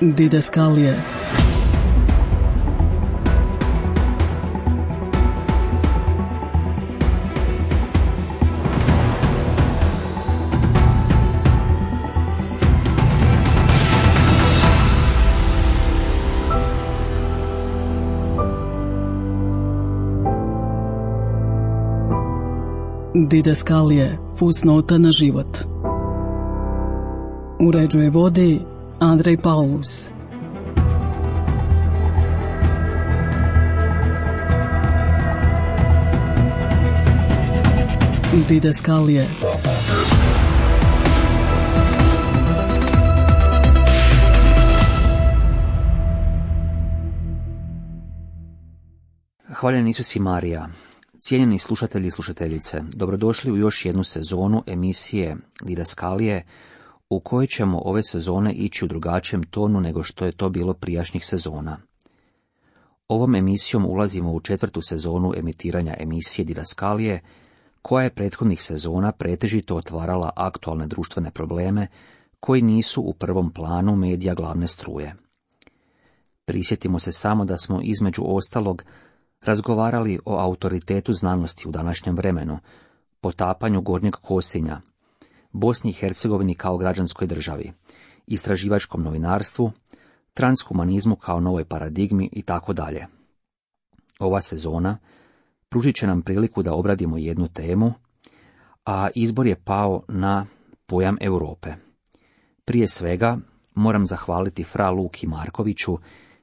Didaskalije. Didaskalije, fusnota na život. Uređuje vodi Andrej Paulus. Didaskalije. Hvaljen Isus i Marija. Cijenjeni slušatelji i slušateljice, dobrodošli u još jednu sezonu emisije Didaskalije, u kojoj ćemo ove sezone ići u drugačijem tonu nego što je to bilo prijašnjih sezona. Ovom emisijom ulazimo u 4. sezonu emitiranja emisije Didaskalije, koja je prethodnih sezona pretežito otvarala aktualne društvene probleme koji nisu u prvom planu medija glavne struje. Prisjetimo se samo da smo između ostalog razgovarali o autoritetu znanosti u današnjem vremenu, potapanju Gornjeg Kosinja, Bosni i Hercegovini kao građanskoj državi, istraživačkom novinarstvu, transhumanizmu kao novoj paradigmi itd. Ova sezona pružit će nam priliku da obradimo jednu temu, a izbor je pao na pojam Europe. Prije svega moram zahvaliti fra Luki Markoviću,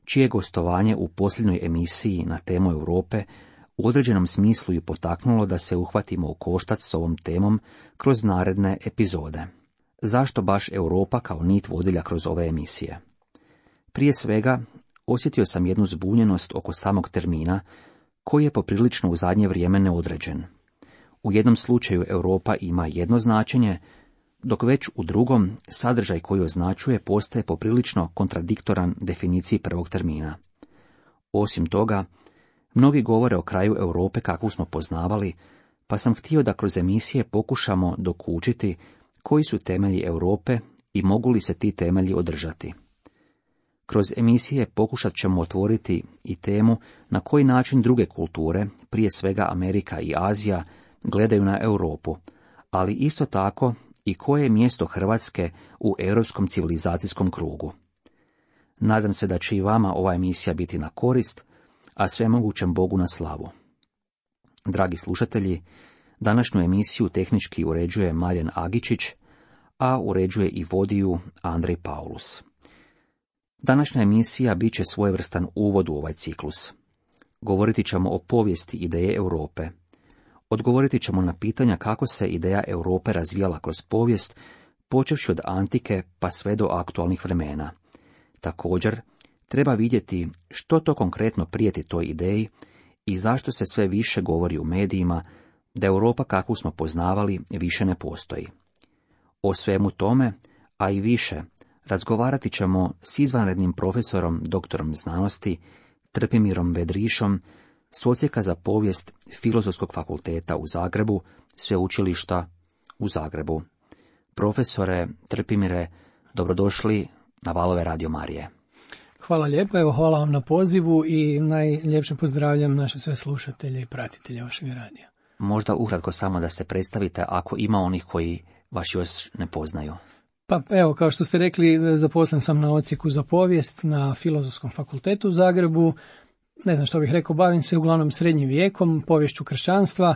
čije gostovanje u posljednjoj emisiji na temu Europe u određenom smislu je potaknulo da se uhvatimo u koštac s ovom temom kroz naredne epizode. Zašto baš Europa kao nit vodilja kroz ove emisije? Prije svega, osjetio sam jednu zbunjenost oko samog termina, koji je poprilično u zadnje vrijeme neodređen. U jednom slučaju Europa ima jedno značenje, dok već u drugom sadržaj koji označuje postaje poprilično kontradiktoran definiciji prvog termina. Osim toga, mnogi govore o kraju Europe kakvu smo poznavali, pa sam htio da kroz emisije pokušamo dokučiti koji su temelji Europe i mogu li se ti temelji održati. Kroz emisije pokušat ćemo otvoriti i temu na koji način druge kulture, prije svega Amerika i Azija, gledaju na Europu, ali isto tako i koje je mjesto Hrvatske u europskom civilizacijskom krugu. Nadam se da će i vama ova emisija biti na korist, a svemogućem Bogu na slavu. Dragi slušatelji, današnju emisiju tehnički uređuje Marjan Agičić, a uređuje i vodi ju Andrej Paulus. Današnja emisija bit će svojevrstan uvod u ovaj ciklus. Govoriti ćemo o povijesti ideje Europe. Odgovoriti ćemo na pitanja kako se ideja Europe razvijala kroz povijest, počevši od antike pa sve do aktualnih vremena. Također, treba vidjeti što to konkretno prijeti toj ideji i zašto se sve više govori u medijima da Europa kakvu smo poznavali više ne postoji. O svemu tome, a i više, razgovarati ćemo s izvanrednim profesorom, doktorom znanosti, Trpimirom Vedrišom, s Odsjeka za povijest Filozofskog fakulteta u Zagrebu, Sveučilišta u Zagrebu. Profesore Trpimire, dobrodošli na valove Radio Marije. Hvala lijepo, evo hvala vam na pozivu i najljepše pozdravljam naše sve slušatelje i pratitelje vašeg radija. Možda ukratko samo da se predstavite ako ima onih koji vas još ne poznaju. Pa evo, kao što ste rekli, zaposlen sam na Odsjeku za povijest na Filozofskom fakultetu u Zagrebu. Ne znam što bih rekao, bavim se uglavnom srednjim vijekom, poviješću kršćanstva,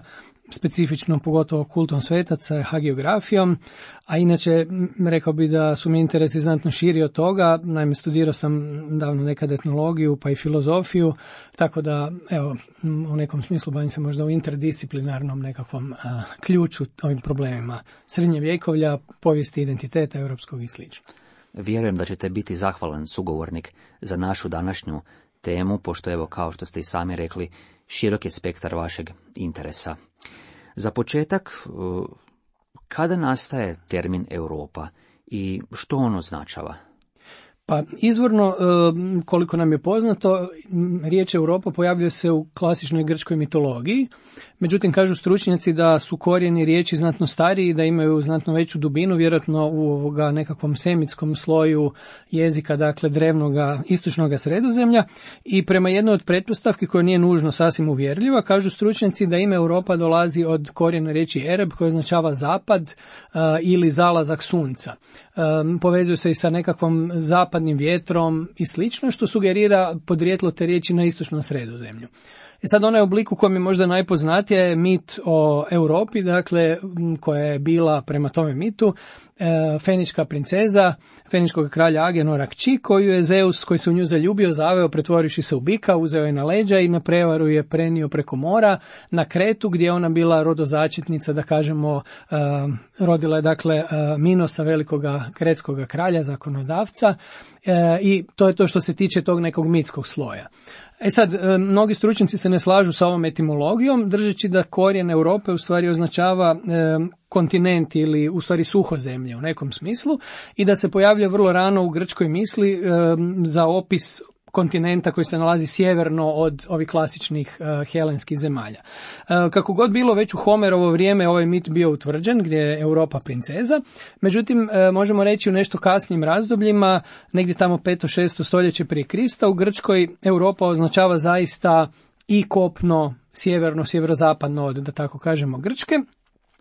specifično pogotovo kultom svetaca, hagiografijom, a inače rekao bih da su mi interesi znatno širi od toga. Naime, studirao sam davno nekad etnologiju pa i filozofiju, tako da evo, u nekom smislu bavim se možda u interdisciplinarnom nekakvom ključu ovim problemima srednjevjekovlja, povijesti identiteta europskog i sl. Vjerujem da ćete biti zahvalan sugovornik za našu današnju temu, pošto evo, kao što ste i sami rekli, širok je spektar vašeg interesa. Za početak, kada nastaje termin Europa i što on označava? Pa Pa izvorno, koliko nam je poznato, riječ Europa pojavljuje se u klasičnoj grčkoj mitologiji, međutim kažu stručnjaci da su korijeni riječi znatno stariji, da imaju znatno veću dubinu, vjerojatno u nekakvom semitskom sloju jezika, dakle drevnoga istočnoga Sredozemlja, i prema jednoj od pretpostavki koja nije nužno sasvim uvjerljiva, kažu stručnjaci da ime Europa dolazi od korijena riječi Ereb, koja označava zapad ili zalazak sunca. Povezuje se i sa nekakvom zapadnim vjetrom i slično, što sugerira podrijetlo te riječi na istočnom Sredozemlju. I sad onaj oblik u kojem je možda najpoznatija je mit o Europi, dakle koja je bila prema tome mitu fenička princeza, feničkog kralja Agenora kći, koju je Zeus, koji se u nju zaljubio, zaveo pretvorivši se u bika, uzeo je na leđa i na prevaru je prenio preko mora na Kretu, gdje je ona bila rodozačetnica, da kažemo, rodila je dakle Minosa, velikoga kretskoga kralja, zakonodavca, i to je to što se tiče tog nekog mitskog sloja. Sad, mnogi stručnjaci se ne slažu sa ovom etimologijom, držeći da korijen Europe u stvari označava kontinent ili u stvari suhozemlje u nekom smislu i da se pojavlja vrlo rano u grčkoj misli za opis kontinenta koji se nalazi sjeverno od ovih klasičnih helenskih zemalja. Kako god bilo, već u Homerovo vrijeme ovaj mit bio utvrđen, gdje je Europa princeza, međutim možemo reći u nešto kasnijim razdobljima, negdje tamo 5. 6. stoljeće prije Krista, u Grčkoj Europa označava zaista i kopno sjeverno, sjeverozapadno od, da tako kažemo, Grčke.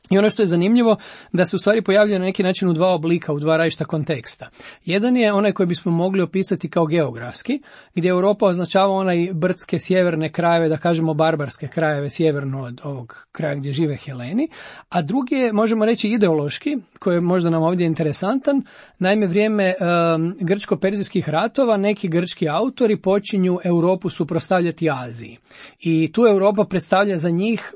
I ono što je zanimljivo, da se u stvari pojavljuje na neki način u dva oblika, u dva različita konteksta. Jedan je onaj koji bismo mogli opisati kao geografski, gdje Europa označava onaj brdske sjeverne krajeve, da kažemo barbarske krajeve sjeverno od ovog kraja gdje žive Heleni, a drugi je, možemo reći, ideološki, koji je možda nam ovdje interesantan. Naime, vrijeme grčko-perzijskih ratova neki grčki autori počinju Europu suprotstavljati Aziji. I tu Europa predstavlja za njih,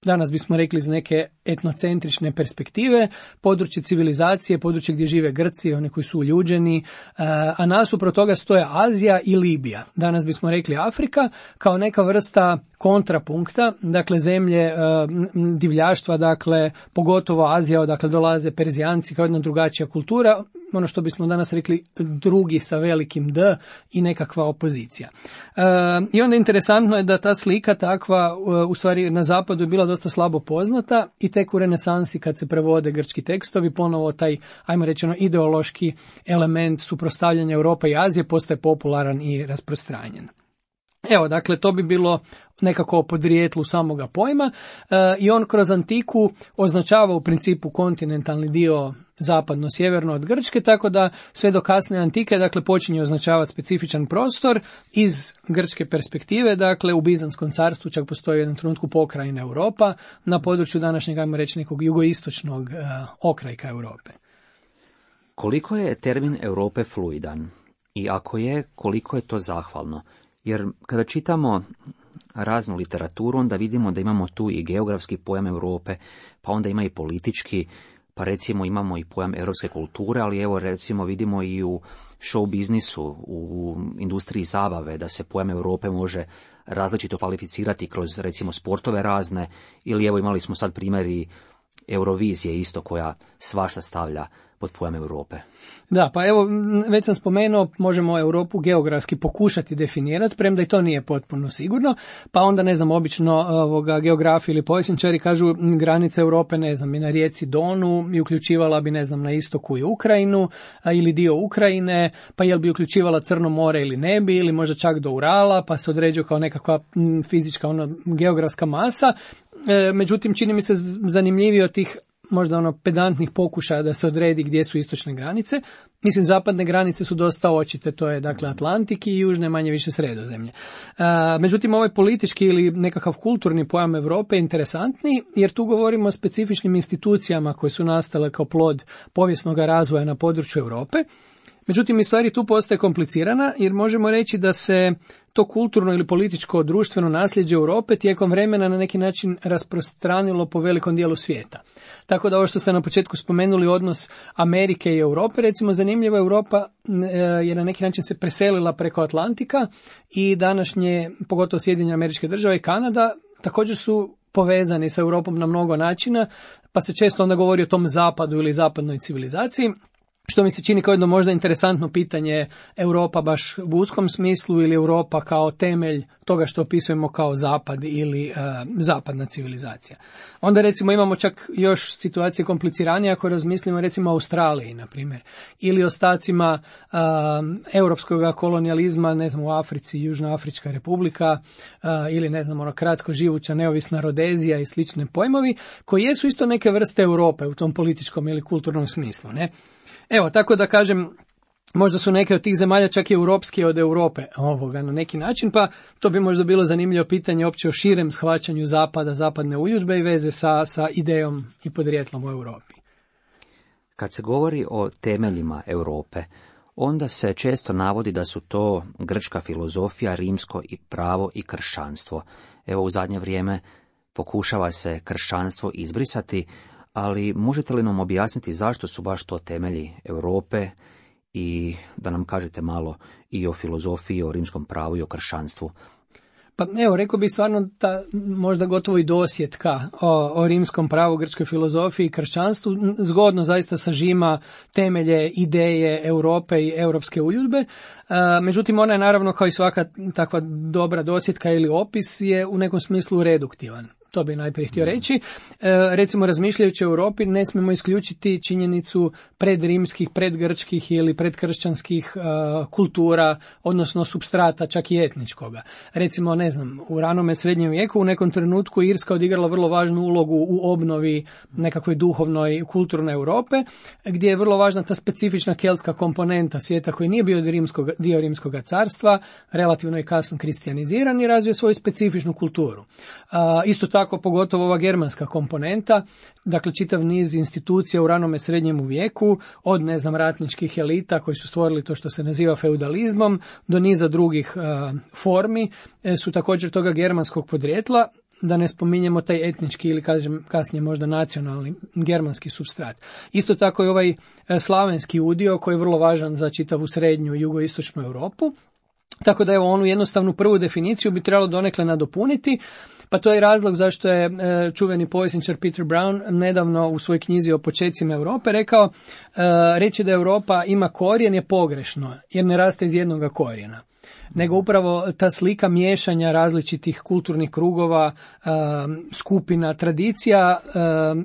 danas bismo rekli iz neke etnocentrične perspektive, područje civilizacije, područje gdje žive Grci, oni koji su uljuđeni, a nasuprot toga stoje Azija i Libija. Danas bismo rekli Afrika kao neka vrsta kontrapunkta, dakle zemlje divljaštva, dakle pogotovo Azija, odakle dolaze Perzijanci kao jedna drugačija kultura, ono što bismo danas rekli drugi sa velikim D i nekakva opozicija. I onda interesantno je da ta slika takva u stvari na zapadu je bila dosta slabo poznata i tek u renesansi kad se prevode grčki tekstovi ponovo taj, ajmo reći, ideološki element suprotstavljanja Europe i Azije postaje popularan i rasprostranjen. Evo, dakle, to bi bilo nekako o podrijetlu samoga pojma i on kroz antiku označava u principu kontinentalni dio zapadno-sjeverno od Grčke, tako da sve do kasne antike, dakle, počinje označavati specifičan prostor iz grčke perspektive, dakle, u Bizanskom carstvu čak postoji u jednom trenutku pokrajina Europa na području današnjeg, ajmo reći, nekog jugoistočnog okrajka Europe. Koliko je termin Europe fluidan? I ako je, koliko je to zahvalno? Jer kada čitamo raznu literaturu, onda vidimo da imamo tu i geografski pojam Europe, pa onda ima i politički, pa recimo imamo i pojam europske kulture, ali evo recimo vidimo i u show biznisu, u industriji zabave, da se pojam Europe može različito kvalificirati kroz recimo sportove razne, ili evo imali smo sad primjeri Eurovizije isto koja svašta stavlja pod pojam Europe. Da, pa evo, već sam spomenuo, možemo Europu geografski pokušati definirati, premda i to nije potpuno sigurno, pa onda, ne znam, obično geografi ili povjesničari kažu granica Europe, ne znam, i na rijeci Donu i uključivala bi, ne znam, na istoku i Ukrajinu ili dio Ukrajine, pa jel bi uključivala Crno more ili ne bi, ili možda čak do Urala, pa se određuje kao nekakva fizička geografska masa. Međutim, čini mi se zanimljivije od tih možda pedantnih pokušaja da se odredi gdje su istočne granice. Mislim, zapadne granice su dosta očite, to je dakle Atlantik i južne manje više Sredozemlje. Međutim, ovaj politički ili nekakav kulturni pojam Europe je interesantni, jer tu govorimo o specifičnim institucijama koje su nastale kao plod povijesnog razvoja na području Europe. Međutim, i stvari tu postaje komplicirana, jer možemo reći da se to kulturno ili političko društveno nasljeđe Europe tijekom vremena na neki način rasprostranilo po velikom dijelu svijeta. Tako da ovo što ste na početku spomenuli, odnos Amerike i Europe, recimo zanimljiva, Europa je na neki način se preselila preko Atlantika i današnje, pogotovo Sjedinjene Američke Države i Kanada, također su povezani sa Europom na mnogo načina, pa se često onda govori o tom zapadu ili zapadnoj civilizaciji. što mi se čini kao jedno možda interesantno pitanje, Europa baš u uskom smislu ili Europa kao temelj toga što opisujemo kao zapad ili zapadna civilizacija. Onda recimo imamo čak još situacije kompliciranije ako razmislimo recimo o Australiji, na primjer, ili ostacima europskog kolonijalizma, ne znam, u Africi, Južnoafrička republika, ili ne znam, kratko živuća neovisna Rodezija i slične pojmovi, koji jesu isto neke vrste Europe u tom političkom ili kulturnom smislu, ne? Evo, tako da kažem, možda su neke od tih zemalja čak i europskije od Europe na neki način, pa to bi možda bilo zanimljivo pitanje opće o širem shvaćanju zapada, zapadne uljudbe i veze sa idejom i podrijetlom u Europi. Kad se govori o temeljima Europe, onda se često navodi da su to grčka filozofija, rimsko i pravo i kršćanstvo. Evo, u zadnje vrijeme pokušava se kršćanstvo izbrisati, ali možete li nam objasniti zašto su baš to temelji Europe i da nam kažete malo i o filozofiji, o rimskom pravu i o kršćanstvu? Pa evo, rekao bih stvarno ta možda gotovo i dosjetka o rimskom pravu, grčkoj filozofiji i kršćanstvu zgodno zaista sažima temelje, ideje Europe i europske uljudbe. Međutim, ona je naravno kao i svaka takva dobra dosjetka ili opis je u nekom smislu reduktivan. To bi najprije htio reći. Recimo, razmišljajući o Europi, ne smijemo isključiti činjenicu predrimskih, predgrčkih ili predkršćanskih kultura, odnosno supstrata, čak i etničkoga. Recimo, ne znam, u ranome srednjem vijeku u nekom trenutku Irska odigrala vrlo važnu ulogu u obnovi nekakvoj duhovnoj kulturne Europe, gdje je vrlo važna ta specifična keltska komponenta svijeta koji nije bio dio rimskog carstva, relativno i kasno kristijaniziran i razvio svoju specifičnu kulturu. Isto tako, pogotovo ova germanska komponenta, dakle čitav niz institucija u ranome srednjemu vijeku, od ne znam ratničkih elita koji su stvorili to što se naziva feudalizmom, do niza drugih formi, su također toga germanskog podrijetla, da ne spominjemo taj etnički ili kažem kasnije možda nacionalni germanski supstrat. Isto tako i ovaj slavenski udio koji je vrlo važan za čitavu srednju i jugoistočnu Europu. Tako da evo, onu jednostavnu prvu definiciju bi trebalo donekle nadopuniti, pa to je razlog zašto je čuveni povjesničar Peter Brown nedavno u svojoj knjizi o počecima Europe rekao, reći da Europa ima korijen je pogrešno, jer ne raste iz jednoga korijena, nego upravo ta slika miješanja različitih kulturnih krugova, skupina, tradicija,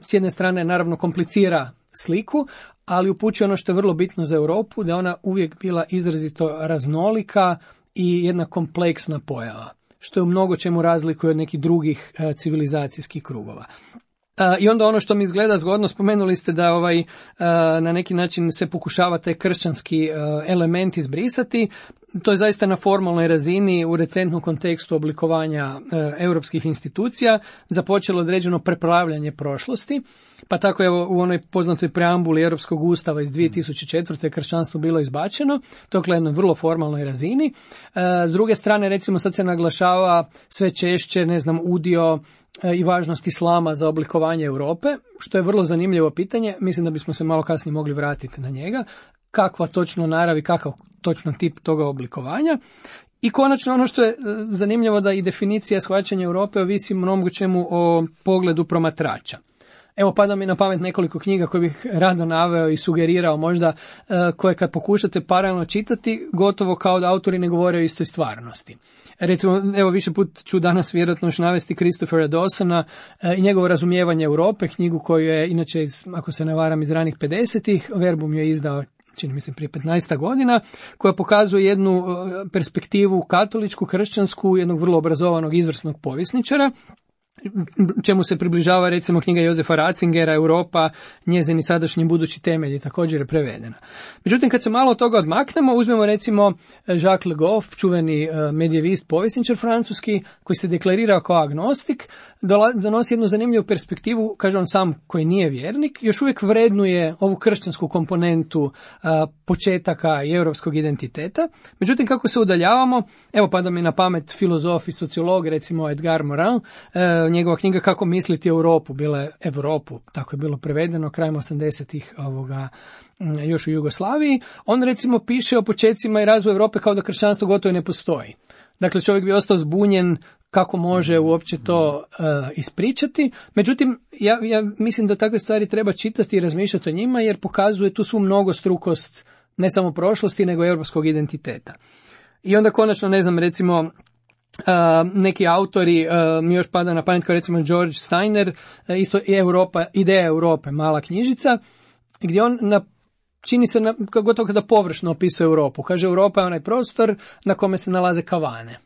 s jedne strane naravno komplicira sliku, ali upućuje ono što je vrlo bitno za Europu, da je ona uvijek bila izrazito raznolika i jedna kompleksna pojava, što je u mnogo čemu razlikuje od nekih drugih civilizacijskih krugova. I onda ono što mi izgleda zgodno, spomenuli ste da na neki način se pokušava taj kršćanski element izbrisati. To je zaista na formalnoj razini u recentnom kontekstu oblikovanja europskih institucija započelo određeno prepravljanje prošlosti, pa tako je u onoj poznatoj preambuli Europskog ustava iz 2004. kršćanstvo bilo izbačeno, to je jednoj vrlo formalnoj razini. S druge strane, recimo, sad se naglašava sve češće, udio i važnost islama za oblikovanje Europe, što je vrlo zanimljivo pitanje. Mislim da bismo se malo kasnije mogli vratiti na njega. Kakva točno narav i kakav točno tip toga oblikovanja. I konačno ono što je zanimljivo da i definicija shvaćanja Europe ovisi mnogo čemu o pogledu promatrača. Evo, pada mi na pamet nekoliko knjiga koje bih rado naveo i sugerirao možda, koje kad pokušate paralelno čitati, gotovo kao da autori ne govore o istoj stvarnosti. Recimo, evo, više put ću danas vjerojatno još navesti Christophera Dawsona i njegovo razumijevanje Europe, knjigu koju je inače, ako se ne varam, iz ranih 50-ih, Verbum je izdao čini mi se prije 15 godina, koja pokazuje jednu perspektivu katoličku, kršćansku, jednog vrlo obrazovanog, izvrsnog povjesničara, čemu se približava recimo knjiga Josefa Ratzingera Europa, njezini sadašnji budući temelji, također je prevedena. Međutim, kad se malo od toga odmaknemo, uzmemo recimo Jacques Le Goff, čuveni medijevist, povjesničar francuski, koji se deklarirao kao agnostik, donosi jednu zanimljivu perspektivu, kaže on sam koji nije vjernik, još uvijek vrednuje ovu kršćansku komponentu početaka i europskog identiteta. Međutim, kako se udaljavamo, evo pada mi na pamet filozof i sociolog, recimo Edgar Morin, njegova knjiga Kako misliti Europu, bila je Europu, tako je bilo prevedeno krajem 80-ih još u Jugoslaviji. On recimo piše o počecima i razvoju Europe kao da kršćanstvo gotovo ne postoji. Dakle, čovjek bi ostao zbunjen kako može uopće to ispričati. Međutim, ja mislim da takve stvari treba čitati i razmišljati o njima, jer pokazuje tu svu mnogostrukost ne samo prošlosti, nego europskog identiteta. I onda konačno, ne znam, recimo, neki autori, mi još pada na pamet kao recimo George Steiner, isto Ideja Europe, mala knjižica, gdje on čini se gotovo kada površno opisuje Europu. Kaže, Europa je onaj prostor na kome se nalaze kavane.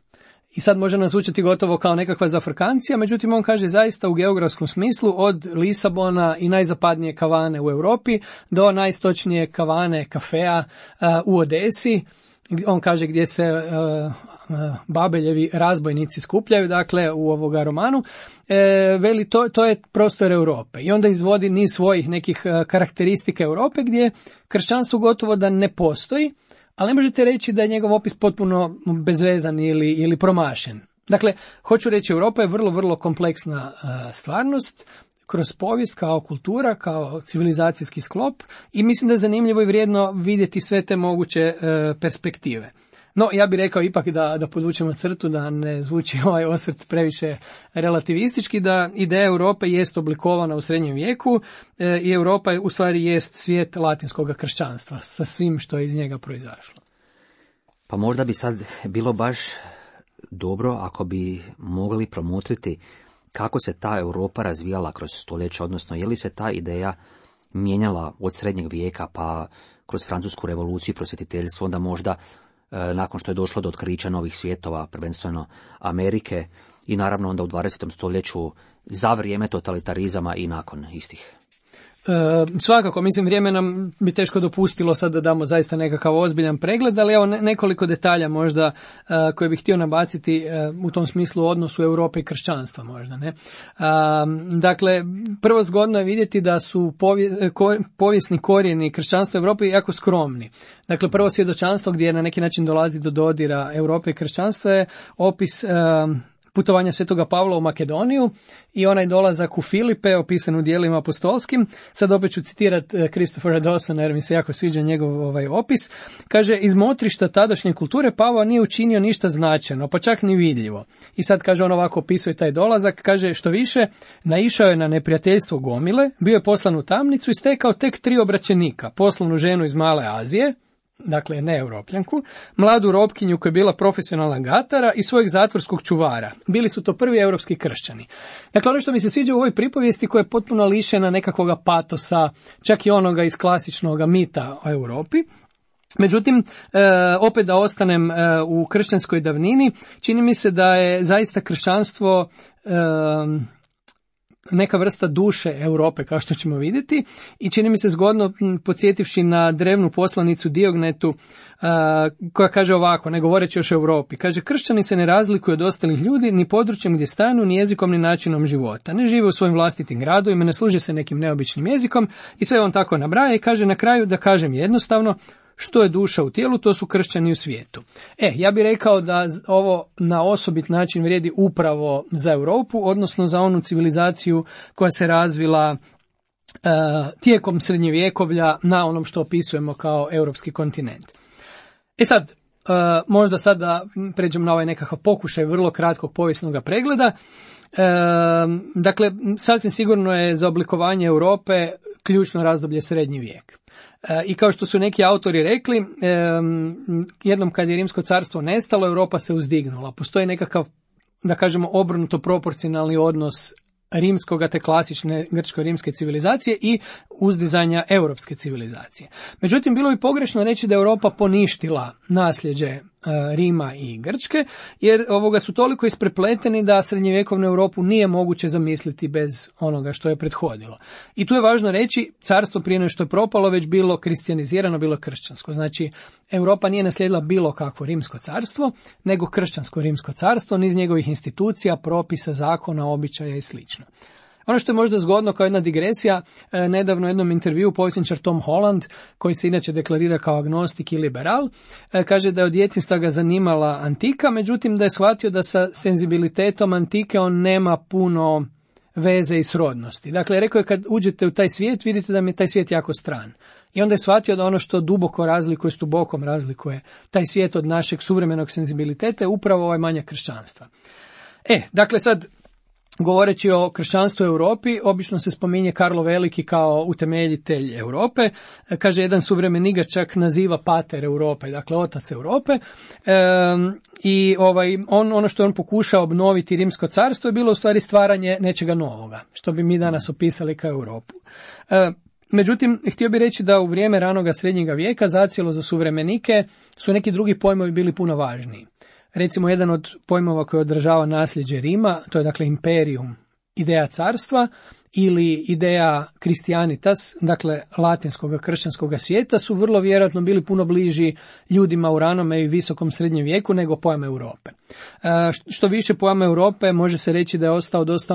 I sad može nas zvučati gotovo kao nekakva zafrkancija, međutim on kaže zaista u geografskom smislu od Lisabona i najzapadnije kavane u Europi do najistočnije kavane, kafea u Odesi. On kaže gdje se Babeljevi razbojnici skupljaju, dakle u ovoga romanu, veli to je prostor Europe. I onda izvodi niz svojih nekih karakteristika Europe gdje kršćanstvo gotovo da ne postoji, ali ne možete reći da je njegov opis potpuno bezvezan ili promašen. Dakle, hoću reći, Europa je vrlo, vrlo kompleksna stvarnost, kroz povijest, kao kultura, kao civilizacijski sklop, i mislim da je zanimljivo i vrijedno vidjeti sve te moguće perspektive. No, ja bih rekao ipak da podvučemo crtu, da ne zvuči ovaj osvrt previše relativistički, da ideja Europe jest oblikovana u srednjem vijeku i Europa u stvari jest svijet latinskog kršćanstva sa svim što je iz njega proizašlo. Pa možda bi sad bilo baš dobro ako bi mogli promotriti kako se ta Europa razvijala kroz stoljeća, odnosno je li se ta ideja mijenjala od srednjeg vijeka pa kroz Francusku revoluciju, prosvjetiteljstvo, onda možda nakon što je došlo do otkrića novih svjetova, prvenstveno Amerike, i naravno onda u 20. stoljeću za vrijeme totalitarizama i nakon istih. Svakako, mislim, vrijeme nam bi teško dopustilo sad da damo zaista nekakav ozbiljan pregled, ali evo nekoliko detalja možda koje bih htio nabaciti u tom smislu odnosu Europe i kršćanstva možda, ne? Dakle, prvo zgodno je vidjeti da su povijesni korijeni kršćanstva Europe jako skromni. Dakle, prvo svjedočanstvo gdje na neki način dolazi do dodira Europe i kršćanstva je opis putovanja Svetoga Pavla u Makedoniju i onaj dolazak u Filipe, opisan u dijelima apostolskim. Sad opet ću citirati Christophera Dawsona jer mi se jako sviđa njegov opis. Kaže, iz motrišta tadašnje kulture Pavao nije učinio ništa značajno, pa čak ni vidljivo. I sad kaže, on ovako opisuje taj dolazak, kaže, što više, naišao je na neprijateljstvo gomile, bio je poslan u tamnicu i stekao tek 3 obraćenika, poslovnu ženu iz Male Azije, dakle ne Europljanku, mladu robkinju koja je bila profesionalna gatara i svojeg zatvorskog čuvara. Bili su to prvi europski kršćani. Dakle, ono što mi se sviđa u ovoj pripovijesti koja je potpuno lišena nekakvog patosa, čak i onoga iz klasičnog mita o Europi. Međutim, opet da ostanem u kršćanskoj davnini, čini mi se da je zaista kršćanstvo neka vrsta duše Europe, kao što ćemo vidjeti, i čini mi se zgodno, podsjetivši na drevnu poslanicu Diognetu, koja kaže ovako, ne govoreći još o Europi, kaže, kršćani se ne razlikuju od ostalih ljudi ni područjem gdje stanu, ni jezikom, ni načinom života. Ne žive u svojim vlastitim gradovima, ne služe se nekim neobičnim jezikom, i sve on tako nabraja i kaže na kraju, da kažem jednostavno, što je duša u tijelu, to su kršćani u svijetu. Ja bih rekao da ovo na osobit način vrijedi upravo za Europu, odnosno za onu civilizaciju koja se razvila tijekom srednjevjekovlja na onom što opisujemo kao europski kontinent. Sad, možda sad da pređem na ovaj nekakav pokušaj vrlo kratkog povijesnog pregleda. Dakle, sasvim sigurno je za oblikovanje Europe ključno razdoblje srednji vijek. I kao što su neki autori rekli, jednom kad je Rimsko carstvo nestalo, Europa se uzdignula. Postoji nekakav, da kažemo, obrnuto proporcionalni odnos rimskoga te klasične grčko-rimske civilizacije i uzdizanja europske civilizacije. Međutim, bilo bi pogrešno reći da je Europa poništila nasljeđe Rima i Grčke, jer ovoga su toliko isprepleteni da srednjevjekovnu Europu nije moguće zamisliti bez onoga što je prethodilo. I tu je važno reći, carstvo prije nego što je propalo već bilo kristijanizirano, bilo kršćansko. Znači, Europa nije naslijedila bilo kakvo rimsko carstvo, nego kršćansko rimsko carstvo, niz njegovih institucija, propisa, zakona, običaja i sl. Ono što je možda zgodno kao jedna digresija, nedavno u jednom intervjuu povjesničar Tom Holland, koji se inače deklarira kao agnostik i liberal, kaže da je od djetinjstva ga zanimala antika, međutim da je shvatio da sa senzibilitetom antike on nema puno veze i srodnosti. Dakle, rekao je, kad uđete u taj svijet, vidite da mi je taj svijet jako stran. I onda je shvatio da ono što duboko razlikuje, s dubokom razlikuje taj svijet od našeg suvremenog senzibiliteta je upravo ovaj manjak kršćanstva. Dakle sad, govoreći o kršćanstvu u Europi, obično se spominje Karlo Veliki kao utemeljitelj Europe. Kaže, jedan suvremeni ga čak naziva pater Europe, dakle otac Europe. I ono što je on pokušao obnoviti Rimsko carstvo je bilo u stvari stvaranje nečega novoga, što bi mi danas opisali kao Europu. Međutim, htio bih reći da u vrijeme ranoga srednjega vijeka zacijelo za suvremenike su neki drugi pojmovi bili puno važniji. Recimo, jedan od pojmova koji odražava nasljeđe Rima, to je dakle imperium, ideja carstva ili ideja Christianitas, dakle latinskog kršćanskog svijeta, su vrlo vjerojatno bili puno bliži ljudima u ranome i visokom srednjem vijeku nego pojam Europe. Što više, pojam Europe može se reći da je ostao dosta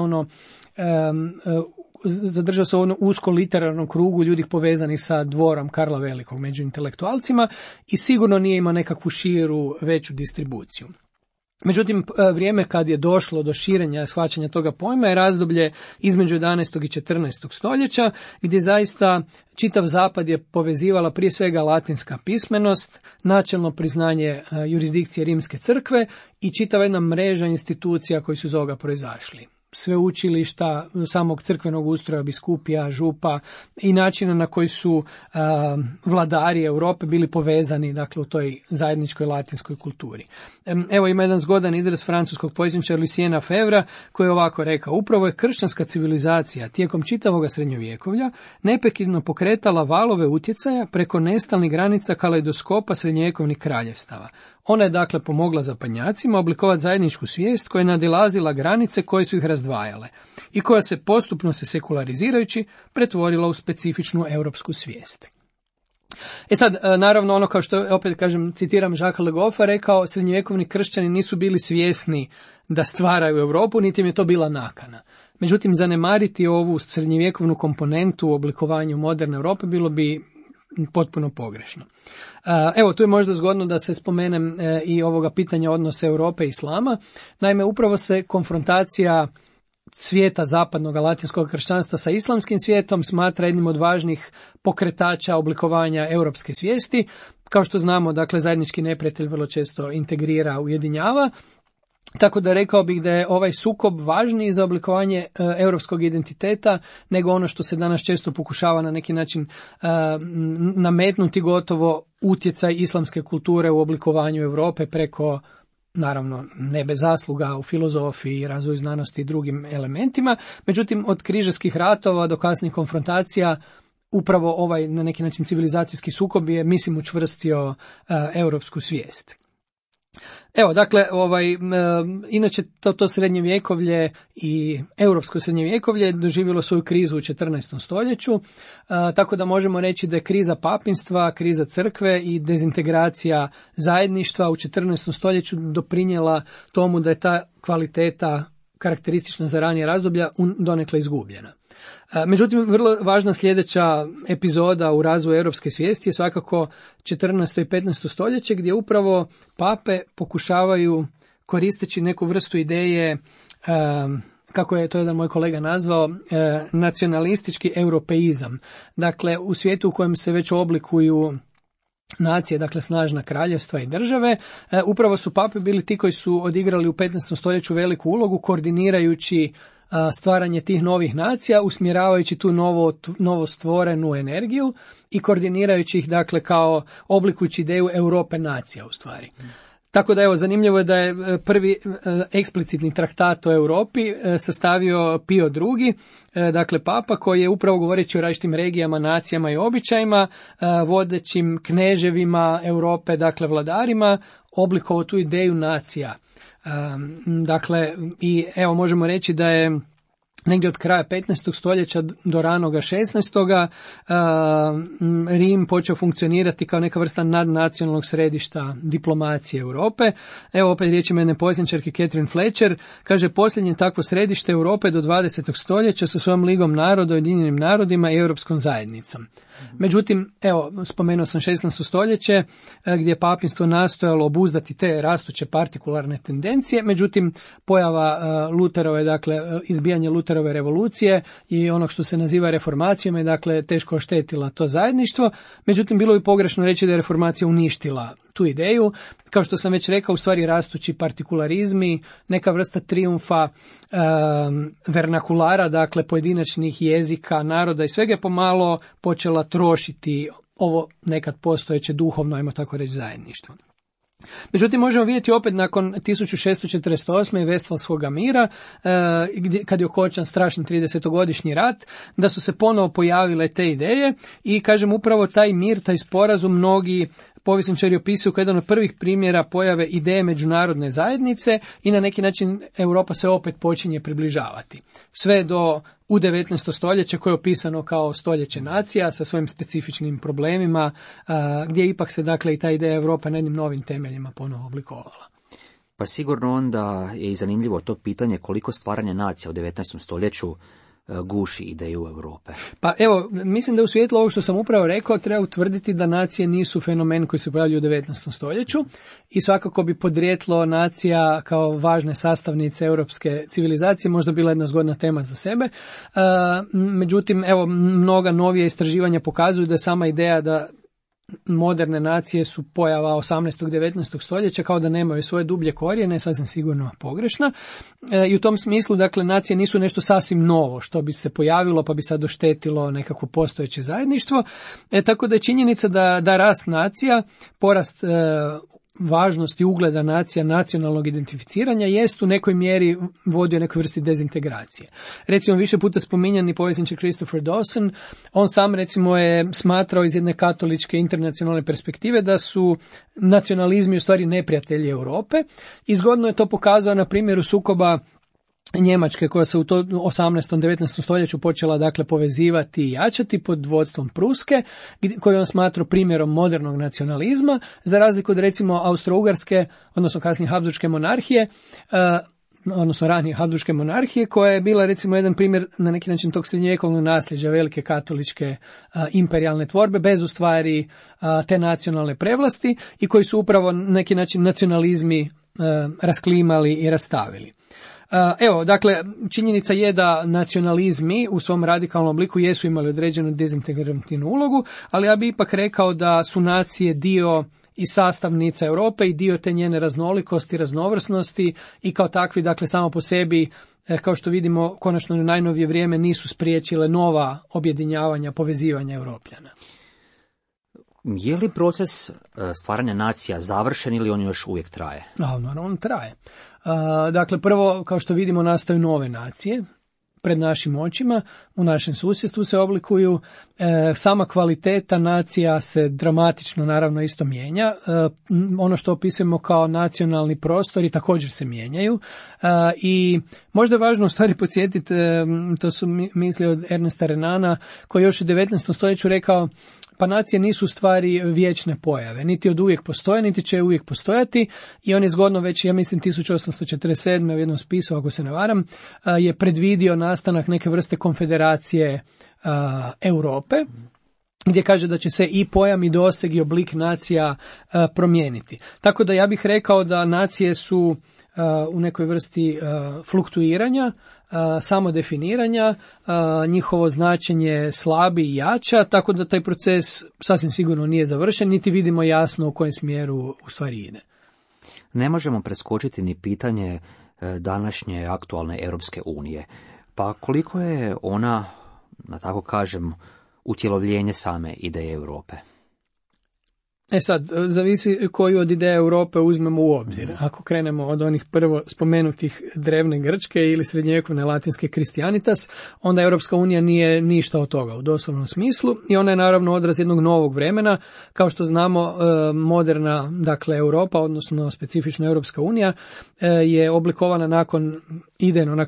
zadržao se u onom usko literarnom krugu ljudi povezanih sa dvorom Karla Velikog među intelektualcima i sigurno nije imao nekakvu širu, veću distribuciju. Međutim, vrijeme kad je došlo do širenja shvaćanja toga pojma je razdoblje između 11. i 14. stoljeća, gdje zaista čitav zapad je povezivala prije svega latinska pismenost, načelno priznanje jurisdikcije Rimske crkve i čitava jedna mreža institucija koji su iz ovoga proizašli. Sveučilišta, samog crkvenog ustroja, biskupija, župa i načina na koji su vladari Europe bili povezani, dakle, u toj zajedničkoj latinskoj kulturi. Evo ima jedan zgodan izraz francuskog povjesničara Luciena Febvra koji je ovako rekao: upravo je kršćanska civilizacija tijekom čitavoga srednjovjekovlja neprekidno pokretala valove utjecaja preko nestalnih granica kaleidoskopa srednjovjekovnih kraljevstava. Ona je dakle pomogla zapadnjacima oblikovati zajedničku svijest koja je nadilazila granice koje su ih razdvajale i koja se postupno sekularizirajući pretvorila u specifičnu europsku svijest. Sad, naravno, ono kao što, opet kažem, citiram Jacques Le Goffa, rekao, srednjovjekovni kršćani nisu bili svjesni da stvaraju Europu, niti im je to bila nakana. Međutim, zanemariti ovu srednjovjekovnu komponentu u oblikovanju moderne Europe bilo bi potpuno pogrešno. Evo, tu je možda zgodno da se spomenem i ovoga pitanja odnosa Europe i Islama. Naime, upravo se konfrontacija svijeta zapadnog latinskog kršćanstva sa islamskim svijetom smatra jednim od važnih pokretača oblikovanja europske svijesti. Kao što znamo, dakle, zajednički neprijatelj vrlo često integrira, ujedinjava. Tako da rekao bih da je ovaj sukob važniji za oblikovanje europskog identiteta nego ono što se danas često pokušava na neki način nametnuti, gotovo utjecaj islamske kulture u oblikovanju Europe preko, naravno, ne bez zasluga u filozofiji, razvoju znanosti i drugim elementima. Međutim, od križarskih ratova do kasnih konfrontacija upravo ovaj na neki način civilizacijski sukob je, mislim, učvrstio europsku svijest. Evo, dakle, inače to srednjevjekovlje i europsko srednjevjekovlje doživjelo svoju krizu u 14. stoljeću, tako da možemo reći da je kriza papinstva, kriza crkve i dezintegracija zajedništva u 14. stoljeću doprinijela tomu da je ta kvaliteta karakteristična za ranije razdoblja donekle izgubljena. Međutim, vrlo važna sljedeća epizoda u razvoju europske svijesti je svakako 14. i 15. stoljeće, gdje upravo pape pokušavaju, koristeći neku vrstu ideje, kako je to jedan moj kolega nazvao, nacionalistički europeizam. Dakle, u svijetu u kojem se već oblikuju nacije, dakle snažna kraljevstva i države, upravo su pape bili ti koji su odigrali u 15. stoljeću veliku ulogu, koordinirajući stvaranje tih novih nacija, usmjeravajući tu novo stvorenu energiju i koordinirajući ih, dakle, kao oblikujući ideju Europe nacija u stvari. Tako da, evo, zanimljivo je da je prvi eksplicitni traktat o Europi sastavio Pio II, dakle papa, koji je upravo govoreći o različitim regijama, nacijama i običajima, vodećim kneževima Europe, dakle vladarima, oblikovao tu ideju nacija. Dakle, i evo možemo reći da je negdje od kraja 15. stoljeća do ranoga 16. Rim počeo funkcionirati kao neka vrsta nadnacionalnog središta diplomacije Europe. Evo opet riječima jedne povjesničarke Catherine Fletcher, kaže: posljednje takvo središte Europe do 20. stoljeća sa svojom ligom naroda, Ujedinjenim narodima i Europskom zajednicom. Međutim, evo, spomenuo sam 16. stoljeće gdje je papinstvo nastojalo obuzdati te rastuće partikularne tendencije, međutim pojava Luterove, dakle izbijanje Luterove Lutherove revolucije i onog što se naziva reformacijom je dakle teško oštetila to zajedništvo. Međutim, bilo bi pogrešno reći da je reformacija uništila tu ideju. Kao što sam već rekao, u stvari rastući partikularizmi, neka vrsta trijumfa vernakulara, dakle pojedinačnih jezika, naroda i svega je pomalo počela trošiti ovo nekad postojeće duhovno, ajmo tako reći, zajedništvo. Međutim, možemo vidjeti opet nakon 1648. i Vestfalskog mira, kad je okončan strašni 30-godišnji rat, da su se ponovo pojavile te ideje i, kažem, upravo taj mir, taj sporazum mnogi povjesničari opisuju kao jedan od prvih primjera pojave ideje međunarodne zajednice i na neki način Europa se opet počinje približavati. Sve do u 19. stoljeće koje je opisano kao stoljeće nacija sa svojim specifičnim problemima, gdje ipak se dakle i ta ideja Europe na jednim novim temeljima ponovo oblikovala. Pa sigurno onda je i zanimljivo to pitanje koliko stvaranje nacija u 19. stoljeću guši ideju Europe. Pa evo, mislim da u svjetlu ovog što sam upravo rekao treba utvrditi da nacije nisu fenomen koji se pojavljuje u 19. stoljeću i svakako bi podrijetlo nacija kao važne sastavnice europske civilizacije možda bila jedna zgodna tema za sebe. Međutim, evo, mnoga novija istraživanja pokazuju da sama ideja da moderne nacije su pojava 18. i 19. stoljeća, kao da nemaju svoje dublje korijene, sasvim sigurno pogrešna. I u tom smislu, dakle, nacije nisu nešto sasvim novo, što bi se pojavilo pa bi sad oštetilo nekako postojeće zajedništvo. Tako da je činjenica da rast nacija, porast važnosti ugleda nacija, nacionalnog identificiranja jest u nekoj mjeri vodio nekoj vrsti dezintegracije. Recimo, više puta spominjani povjesničar Christopher Dawson, on sam recimo je smatrao iz jedne katoličke internacionalne perspektive da su nacionalizmi u stvari neprijatelji Europe i zgodno je to pokazao na primjeru sukoba Njemačke koja se u 18. 19. stoljeću počela dakle povezivati i jačati pod vodstvom Pruske, koju on smatrao primjerom modernog nacionalizma, za razliku od recimo Austro-Ugarske, odnosno kasnije Habsburške monarhije, odnosno ranije Habsburške monarhije, koja je bila recimo jedan primjer na neki način tog srednjovjekovnog nasljeđa velike katoličke imperijalne tvorbe, bez u stvari te nacionalne prevlasti i koji su upravo na neki način nacionalizmi rasklimali i rastavili. Evo, dakle, činjenica je da nacionalizmi u svom radikalnom obliku jesu imali određenu dezintegrativnu ulogu, ali ja bih ipak rekao da su nacije dio i sastavnica Europe i dio te njene raznolikosti, raznovrsnosti i kao takvi, dakle, samo po sebi, kao što vidimo, konačno u najnovije vrijeme nisu spriječile nova objedinjavanja, povezivanja Europljana. Je li proces stvaranja nacija završen ili on još uvijek traje? Naravno, on traje. Dakle, prvo, kao što vidimo, nastaju nove nacije pred našim očima, u našem susjedstvu se oblikuju. Sama kvaliteta nacija se dramatično, naravno, isto mijenja. Ono što opisujemo kao nacionalni prostori također se mijenjaju. I možda je važno u stvari podsjetiti, to su misli od Ernesta Renana, koji još u 19. stoljeću rekao, pa nacije nisu u stvari vječne pojave, niti od uvijek postoje, niti će uvijek postojati i on je zgodno već, ja mislim, 1847. u jednom spisu, ako se ne varam, je predvidio nastanak neke vrste konfederacije Europe, gdje kaže da će se i pojam i doseg i oblik nacija promijeniti. Tako da ja bih rekao da nacije su u nekoj vrsti fluktuiranja, samodefiniranja, njihovo značenje slabi i jača, tako da taj proces sasvim sigurno nije završen, niti vidimo jasno u kojem smjeru u stvari ide. Ne možemo preskočiti ni pitanje današnje aktualne Europske unije. Pa koliko je ona, da tako kažem, utjelovljenje same ideje Europe? Sad, zavisi koju od ideja Europe uzmemo u obzir. Ako krenemo od onih prvo spomenutih drevne Grčke ili srednjovjekovne latinske Christianitas, onda Europska unija nije ništa od toga u doslovnom smislu i ona je naravno odraz jednog novog vremena. Kao što znamo, moderna, dakle, Europa, odnosno specifično Europska unija, je oblikovana nakon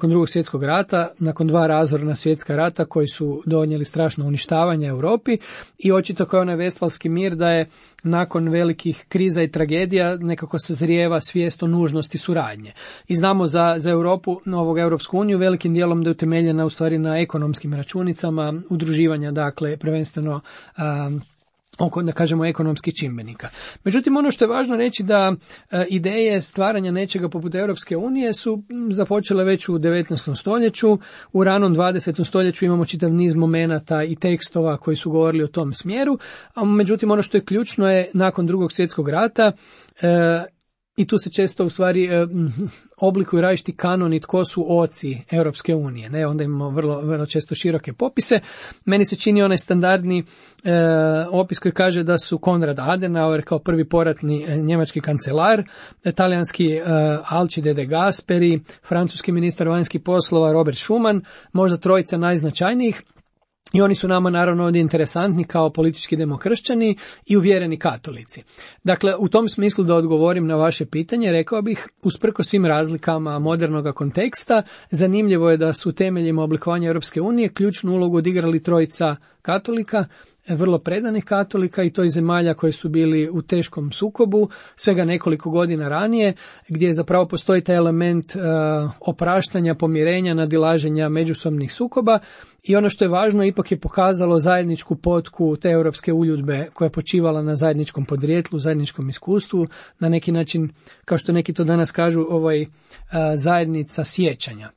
Drugog svjetskog rata, nakon 2 razorna svjetska rata koji su donijeli strašno uništavanje Europi i očito kao onaj Vestfalski mir da je nakon velikih kriza i tragedija nekako sazrijeva svijest o nužnosti suradnje. I znamo za Europu, Europsku uniju, velikim dijelom da je utemeljena u stvari na ekonomskim računicama, udruživanja, dakle, prvenstveno oko, da kažemo, ekonomskih čimbenika. Međutim, ono što je važno reći da ideje stvaranja nečega poput Europske unije su započele već u 19. stoljeću. U ranom 20. stoljeću imamo čitav niz momenata i tekstova koji su govorili o tom smjeru. A međutim, ono što je ključno je nakon Drugog svjetskog rata i tu se često u stvari oblikuju različiti kanoni tko su oci Europske unije. Ne, onda imamo vrlo često široke popise. Meni se čini onaj standardni opis koji kaže da su Konrad Adenauer kao prvi poratni njemački kancelar, talijanski Alcide de Gasperi, francuski ministar vanjskih poslova Robert Schuman, možda trojica najznačajnijih. I oni su nama naravno ovdje interesantni kao politički demokršćani i uvjereni katolici. Dakle, u tom smislu da odgovorim na vaše pitanje, rekao bih, usprkos svim razlikama modernog konteksta, zanimljivo je da su u temeljima oblikovanja Europske unije ključnu ulogu odigrali trojica katolika, vrlo predanih katolika i to iz zemalja koje su bili u teškom sukobu svega nekoliko godina ranije, gdje zapravo postoji taj element opraštanja, pomirenja, nadilaženja međusobnih sukoba. I ono što je važno, ipak je pokazalo zajedničku potku te europske uljudbe koja je počivala na zajedničkom podrijetlu, zajedničkom iskustvu, na neki način, kao što neki to danas kažu, zajednica sjećanja.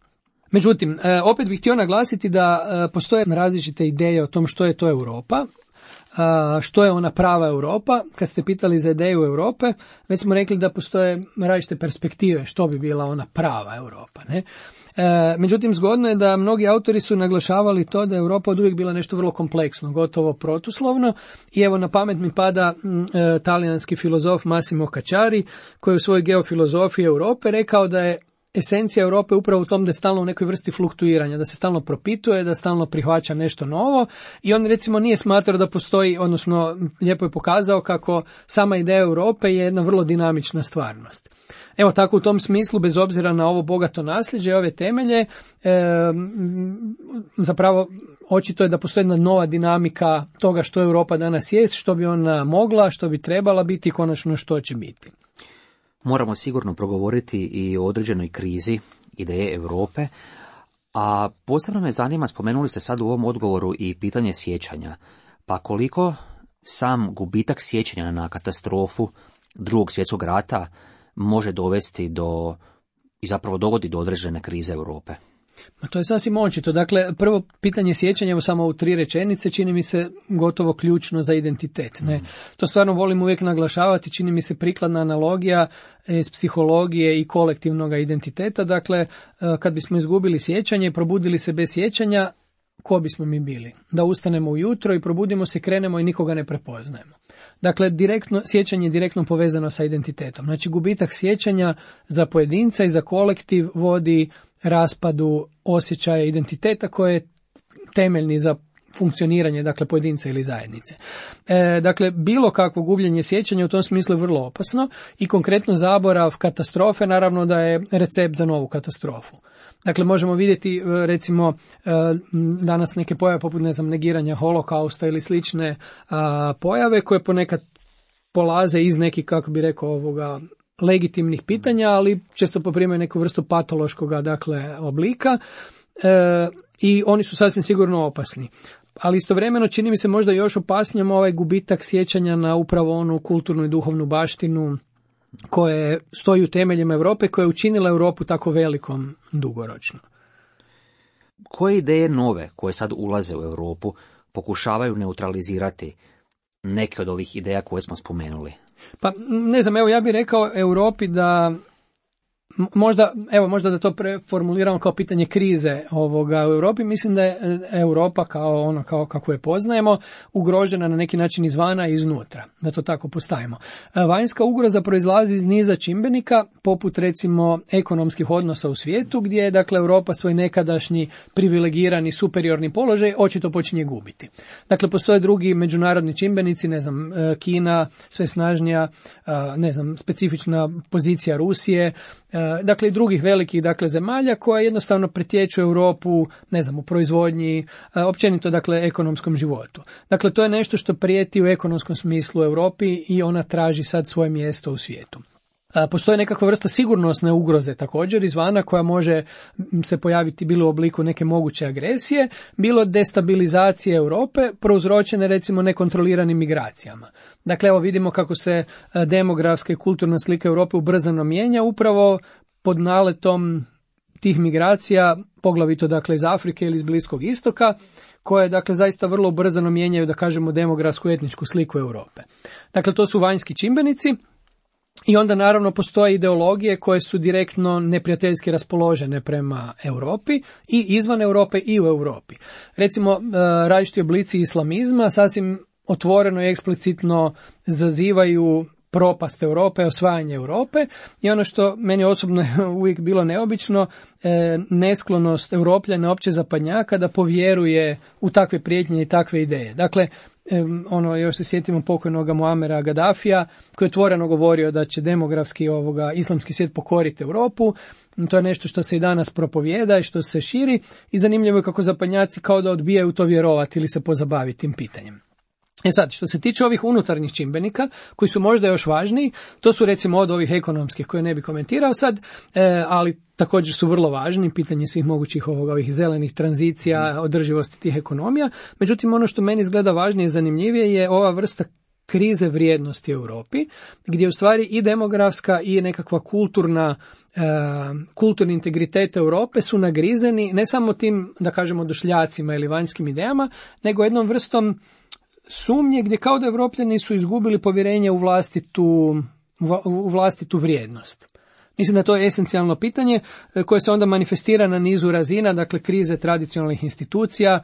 Međutim, opet bih htio naglasiti da postoje različite ideje o tom što je to Europa, što je ona prava Europa. Kad ste pitali za ideju Europe, već smo rekli da postoje različite perspektive što bi bila ona prava Europa, ne? Međutim, zgodno je da mnogi autori su naglašavali to da je Europa od uvijek bila nešto vrlo kompleksno, gotovo protuslovno. I evo na pamet mi pada talijanski filozof Massimo Cacciari, koji je u svojoj geofilozofiji Europe rekao da je esencija Europe upravo u tom da je stalno u nekoj vrsti fluktuiranja, da se stalno propituje, da stalno prihvaća nešto novo i on recimo nije smatrao da postoji, odnosno lijepo je pokazao kako sama ideja Europe je jedna vrlo dinamična stvarnost. Evo tako u tom smislu, bez obzira na ovo bogato nasljeđe i ove temelje, zapravo očito je da postoji jedna nova dinamika toga što Europa danas jest, što bi ona mogla, što bi trebala biti i konačno što će biti. Moramo sigurno progovoriti i o određenoj krizi ideje Europe, a posebno me zanima, spomenuli ste sad u ovom odgovoru i pitanje sjećanja. Pa koliko sam gubitak sjećanja na katastrofu Drugog svjetskog rata može dovesti do, i zapravo dovodi do određene krize Europe? Ma to je sasvim očito. Dakle, prvo pitanje sjećanja, evo samo u 3 rečenice, čini mi se gotovo ključno za identitet. Ne? To stvarno volim uvijek naglašavati, čini mi se prikladna analogija iz psihologije i kolektivnog identiteta. Dakle, kad bismo izgubili sjećanje, probudili se bez sjećanja, ko bismo mi bili? Da ustanemo ujutro i probudimo se, krenemo i nikoga ne prepoznajemo. Dakle, sjećanje je direktno povezano sa identitetom. Znači, gubitak sjećanja za pojedinca i za kolektiv vodi raspadu osjećaja identiteta koje je temeljni za funkcioniranje, dakle, pojedinca ili zajednice. Dakle, bilo kakvo gubljenje sjećanja u tom smislu je vrlo opasno i konkretno zaborav katastrofe naravno da je recept za novu katastrofu. Dakle, možemo vidjeti recimo danas neke pojave poput, negiranja holokausta ili slične pojave koje ponekad polaze iz nekih, kako bi rekao, legitimnih pitanja, ali često poprimaju neku vrstu patološkog, dakle, oblika i oni su sasvim sigurno opasni. Ali istovremeno čini mi se možda još opasnijom ovaj gubitak sjećanja na upravo onu kulturnu i duhovnu baštinu koje stoji u temeljima Europe, koja je učinila Europu tako velikom dugoročno. Koje ideje nove koje sad ulaze u Europu pokušavaju neutralizirati neke od ovih ideja koje smo spomenuli? Pa ne znam, evo ja bih rekao Europi da možda da to preformuliramo kao pitanje krize u Europi. Mislim da je Europa kao kako je poznajemo ugrožena na neki način izvana i iznutra, da to tako postavimo. Vanjska ugroza proizlazi iz niza čimbenika, poput recimo ekonomskih odnosa u svijetu, gdje je dakle Europa svoj nekadašnji privilegirani superiorni položaj očito počinje gubiti. Dakle, postoje drugi međunarodni čimbenici, Kina, sve snažnija, specifična pozicija Rusije, dakle i drugih velikih zemalja koja jednostavno pretječu Europu, u proizvodnji, općenito ekonomskom životu. Dakle, to je nešto što prijeti u ekonomskom smislu Europi i ona traži sad svoje mjesto u svijetu. Postoji nekakva vrsta sigurnosne ugroze također izvana koja može se pojaviti bilo u obliku neke moguće agresije, bilo destabilizacije Europe prouzročene recimo nekontroliranim migracijama. Dakle, evo vidimo kako se demografska i kulturna slika Europe ubrzano mijenja upravo pod naletom tih migracija, poglavito dakle iz Afrike ili iz Bliskog istoka, koje dakle zaista vrlo ubrzano mijenjaju, da kažemo, demografsku etničku sliku Europe. Dakle, to su vanjski čimbenici. I onda naravno postoje ideologije koje su direktno neprijateljski raspoložene prema Europi i izvan Europe i u Europi. Recimo, različiti oblici islamizma sasvim otvoreno i eksplicitno zazivaju propast Europe, osvajanje Europe i ono što meni osobno je uvijek bilo neobično, nesklonost Europljana, opće zapadnjaka da povjeruje u takve prijetnje i takve ideje. Dakle, još se sjetimo pokojnoga Muamera Gaddafija koji je otvoreno govorio da će demografski islamski svijet pokoriti Europu. To je nešto što se i danas propovijeda i što se širi i zanimljivo je kako zapadnjaci kao da odbijaju to vjerovati ili se pozabaviti tim pitanjem. Sad, što se tiče ovih unutarnjih čimbenika, koji su možda još važniji, to su recimo od ovih ekonomskih koje ne bi komentirao sad, ali također su vrlo važni, pitanje svih mogućih ovih zelenih tranzicija, održivosti tih ekonomija. Međutim, ono što meni izgleda važnije i zanimljivije je ova vrsta krize vrijednosti u Europi, gdje u stvari i demografska i nekakva kulturni integritet Europe su nagrizeni ne samo tim, da kažemo, došljacima ili vanjskim idejama, nego jednom vrstom sumnje gdje kao da Europljani su izgubili povjerenje u vlastitu vrijednost. Mislim da to je esencijalno pitanje koje se onda manifestira na nizu razina, dakle krize tradicionalnih institucija,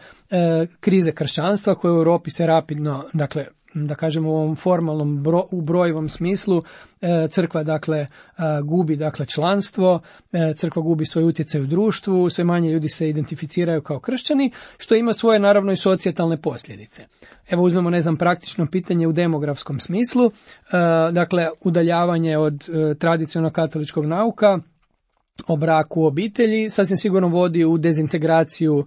krize kršćanstva koje u Europi se rapidno, dakle da kažemo u ovom formalnom ubrojivom smislu, crkva dakle gubi dakle članstvo, crkva gubi svoj utjecaj u društvu, sve manje ljudi se identificiraju kao kršćani, što ima svoje naravno i socijalne posljedice. Evo uzmemo, praktično pitanje u demografskom smislu, dakle udaljavanje od tradicionalnog katoličkog nauka o braku u obitelji sasvim sigurno vodi u dezintegraciju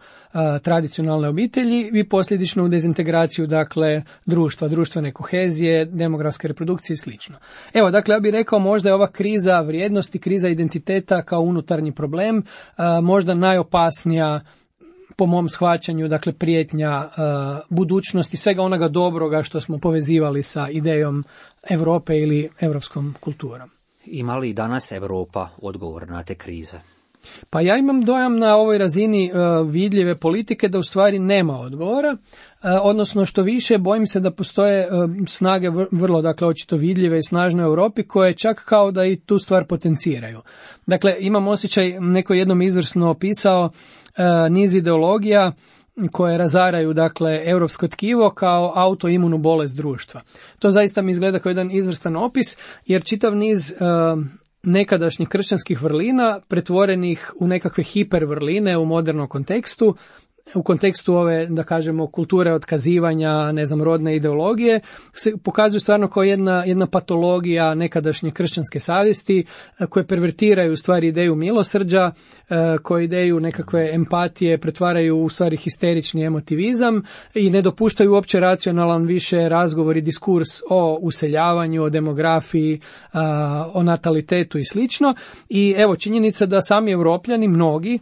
tradicionalne obitelji i posljedično u dezintegraciju dakle društva, društvene kohezije, demografske reprodukcije i slično. Evo, dakle, ja bih rekao možda je ova kriza vrijednosti, kriza identiteta kao unutarnji problem, možda najopasnija po mom shvaćanju, dakle prijetnja budućnosti, svega onoga dobroga što smo povezivali sa idejom Europe ili europskom kulturom. Ima li danas Europa odgovor na te krize? Pa ja imam dojam na ovoj razini vidljive politike da u stvari nema odgovora, odnosno što više bojim se da postoje snage vrlo, dakle, očito vidljive i snažne u Europi koje čak kao da i tu stvar potenciraju. Dakle, imam osjećaj, neko jednom izvrsno opisao niz ideologija koje razaraju dakle europsko tkivo kao autoimunu bolest društva. To zaista mi izgleda kao jedan izvrstan opis, jer čitav niz nekadašnjih kršćanskih vrlina pretvorenih u nekakve hipervrline u modernom kontekstu, u kontekstu ove, da kažemo, kulture otkazivanja, rodne ideologije, se pokazuju stvarno kao jedna patologija nekadašnje kršćanske savjesti koje pervertiraju u stvari ideju milosrđa, koje ideju nekakve empatije pretvaraju u stvari histerični emotivizam i ne dopuštaju uopće racionalan više razgovor i diskurs o useljavanju, o demografiji, o natalitetu i slično. I evo, činjenica da sami Europljani, mnogi,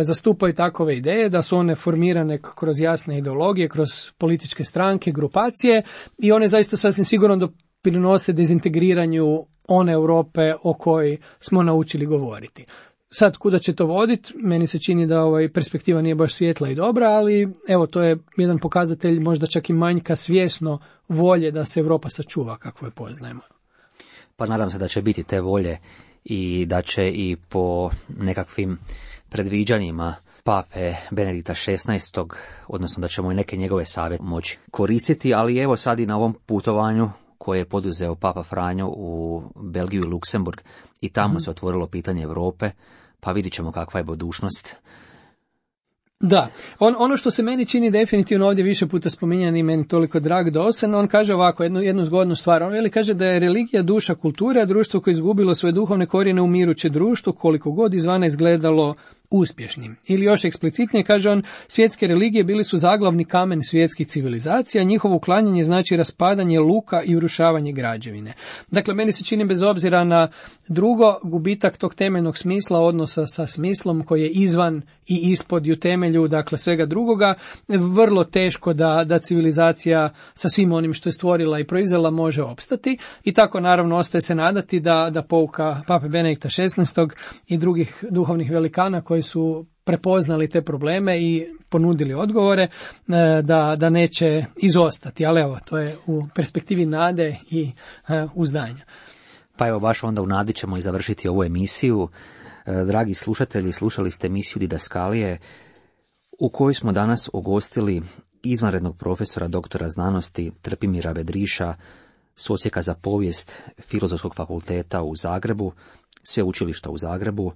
zastupaju takove ideje, da su one formirane kroz jasne ideologije, kroz političke stranke, grupacije i one zaista sasvim sigurno doprinose dezintegriranju one Europe o kojoj smo naučili govoriti. Sad, kuda će to voditi? Meni se čini da perspektiva nije baš svijetla i dobra, ali evo, to je jedan pokazatelj možda čak i manjka svjesno volje da se Europa sačuva kakvu je poznajemo. Pa nadam se da će biti te volje i da će i po nekakvim predviđanjima pape Benedikta XVI, odnosno da ćemo i neke njegove savjete moći koristiti, ali evo sad i na ovom putovanju koje je poduzeo papa Franjo u Belgiju i Luksemburg i tamo se otvorilo pitanje Europe, pa vidit ćemo kakva je budućnost. Da, ono što se meni čini definitivno ovdje više puta spominjan i meni toliko drag Dosen, on kaže ovako, jednu zgodnu stvar, on kaže da je religija duša kulture, a društvo koje je izgubilo svoje duhovne korijene umiruće društvo, koliko god izvana izgledalo uspješnim. Ili još eksplicitnije kaže on, svjetske religije bili su zaglavni kamen svjetskih civilizacija, njihovo uklanjanje znači raspadanje luka i urušavanje građevine. Dakle, meni se čini bez obzira na drugo, gubitak tog temeljnog smisla, odnosa sa smislom koji je izvan i ispod i u temelju, dakle svega drugoga, vrlo teško da civilizacija sa svim onim što je stvorila i proizvela može opstati. I tako naravno ostaje se nadati da pouka Pape Benedikta XVI. I drugih duhovnih velikana koji su prepoznali te probleme i ponudili odgovore, da neće izostati. Ali evo, to je u perspektivi nade i uzdanja. Pa evo, baš onda u nadi ćemo i završiti ovu emisiju. Dragi slušatelji, slušali ste emisiju Didaskalije u kojoj smo danas ugostili izvanrednog profesora doktora znanosti Trpimira Vedriša s Odsjeka za povijest Filozofskog fakulteta u Zagrebu, Sveučilišta u Zagrebu.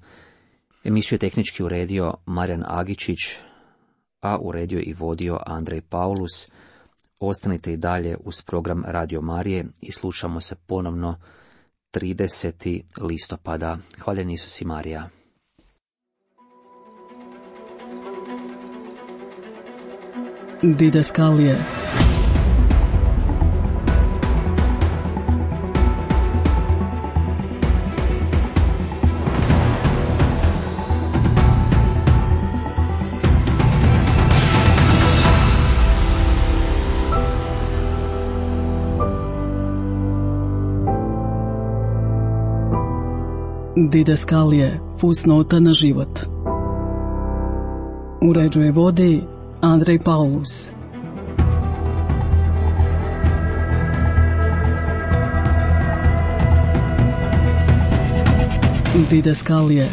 Emisiju je tehnički uredio Marijan Agičić, a uredio i vodio Andrej Paulus. Ostanite i dalje uz program Radio Marije i slušamo se ponovno 30. listopada. Hvaljen Isus i Marija. Didaskalije. Didaskalije, fusnota na život. Uređuje vodi Andrej Paulus. Didaskalije.